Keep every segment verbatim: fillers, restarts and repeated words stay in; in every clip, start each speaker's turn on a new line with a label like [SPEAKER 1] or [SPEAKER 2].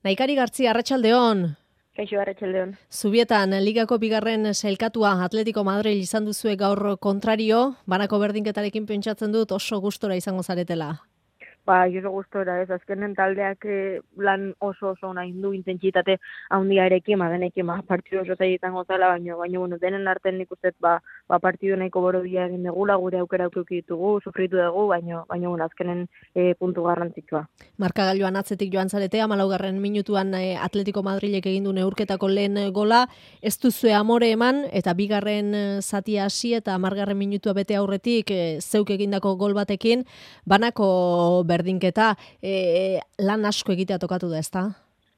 [SPEAKER 1] Naikari Gartzia, arratsaldeon.
[SPEAKER 2] Kaixo, arratsaldeon.
[SPEAKER 1] Zubietan, ligako bigarren sailkatua Atletico Madrid izan duzue gaur kontrario, banako berdinketarekin pentsatzen dut oso gustora izango zaretela.
[SPEAKER 2] Ba, oso gustora, ez, azkenen taldeak eh, lan oso oso nahi du intentsitate handiarekin, ba, denekin, ba, partidu oso zaietan gozala, baina, baina, bueno, denen artean nik uste, ba, ba, partidu nahiko borodia egin degula, gure aukera auki ditugu, sufritu dugu, baina, baina, bueno, azkenen eh, puntu garrantzitsua.
[SPEAKER 1] Markagailuan atzetik joan zarete, hamalaugarren minutuan eh, Atletico Madrilek egin du neurketako lehen gola, ez duzue amore eman, eta bigarren eh, zatia hasi eta hamargarren minutua bete aurretik eh, zeuk egindako gol batekin, banako berdinketa, e, lan asko egitea tokatu da, ezta?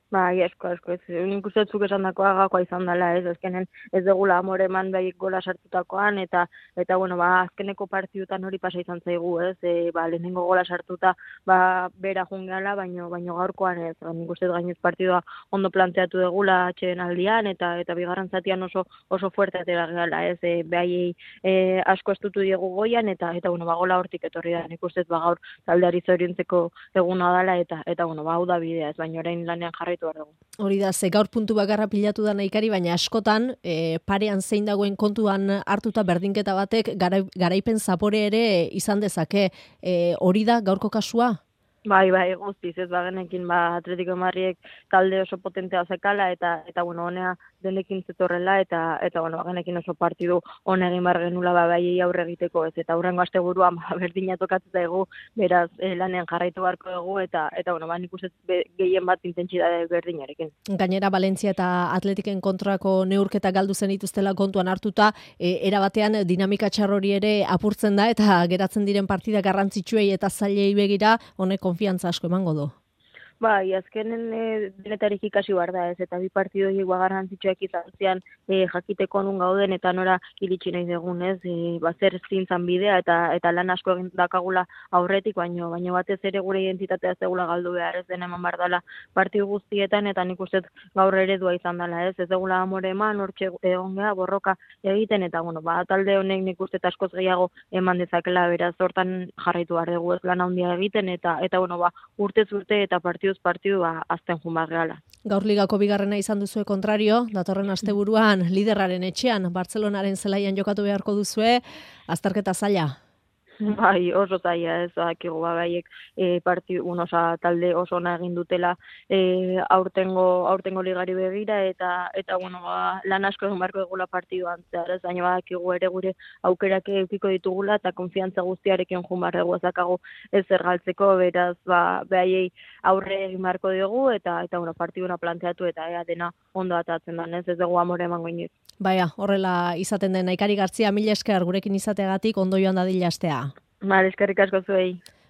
[SPEAKER 2] Ba, asko, asko, ez, nik uste zuk esan dakoa gakoa izan dela, ez, azkenen ez degula amore eman bai gola sartutakoan, eta, eta bueno, ba, azkeneko partidutan hori pasa izan zaigu, ez, e, ba, lehenengo gola sartuta, ba, bera jungeala, baino, baino gaurkoan, ez, nik uste gainez partidua ondo planteatu degula atxeen aldian, eta, eta bigarren zatian oso, oso fuerte atera gehala, ez, e, behaiei e, asko estutu diegu goian, eta, eta, bueno, ba, gola hortik etorri da, nik uste, ba, gaur taldeari zoriontzeko eguna dela, eta, eta, bueno, ba, hau da bidea, ez, baina orain lanean jarri
[SPEAKER 1] Hori da, ze gaur puntu bakarra pilatu da Naikari, baina askotan e, parean zein dagoen kontuan hartuta berdinketa batek gara, garaipen zapore ere izan dezake. E, hori da gaurko kasua?
[SPEAKER 2] Bai, bai, guztiz, ez bagenekin, ba, Atletico Madridek talde oso potentea zekala, eta, eta bueno, honea denekin zetorrela, eta, eta bueno, bagenekin oso partidu hone egin bar genula, ba, bai aurre egiteko, ez, eta aurrengo asteburuan, ba, berdina tokatzen zaigu, beraz, eh, lanean jarraitu beharko dugu, eta, eta bueno, ba, nik uste gehien bat intentsitate berdinarekin.
[SPEAKER 1] Gainera, Valentzia eta Atletiken kontrako neurketa galdu zen dituztela kontuan hartuta, e, erabatean dinamika txarrori ere apurtzen da, eta geratzen diren partida garrantzitsuei eta zailei begira, honek konfiantza asko emango du.
[SPEAKER 2] Bai, azkenen e, denetarik ikasi behar da, ez, eta bi partidu higua garrantzitsuak izan zian e, jakiteko nun gauden, eta nora iritsi nahi dugun, ez, e, ba, zer zintzan bidea, eta eta lan asko egin dakagula aurretik, baino, baino batez ere gure identitatea zegula galdu behar, ez den eman behar dela partidu guztietan, eta nik uste gaur eredua izan dela, ez, ez degula amore eman, hortxe egon geha, borroka egiten, eta bueno, ba, talde honek nik uste askoz gehiago eman dezakela, beraz, hortan jarraitu behar dugu, ez lan handia egiten, eta, eta bueno, ba, urtez urte eta partidu partidu ba, azten jun barreala.
[SPEAKER 1] Gaur ligako bigarrena izan duzue kontrario, datorren asteburuan liderraren etxean, Bartzelonaren zelaian jokatu beharko duzue, azterketa zaila.
[SPEAKER 2] Bai, oso zaila, ez, dakigu, ba, gaiek e, partidu, un, osa, talde oso ona egin dutela e, aurtengo, aurtengo ligari begira, eta, eta bueno, ba, lan asko egin barko egula partiduan, zehar, ez, baina badakigu ere gure aukerak eukiko ditugula, eta konfiantza guztiarekin jun barregu ezakago ez zergaltzeko, beraz, ba, behaiei aurre egin barko dugu, eta, eta bueno, partiduna planteatu, eta ea dena ondo atatzen da, ez, ez dugu amore emango inoiz.
[SPEAKER 1] Baina, horrela izaten den Naikari Gartzia, mila esker gurekin izateagatik ondo joan dadila astea.
[SPEAKER 2] Mal, eskerrik asko zuei.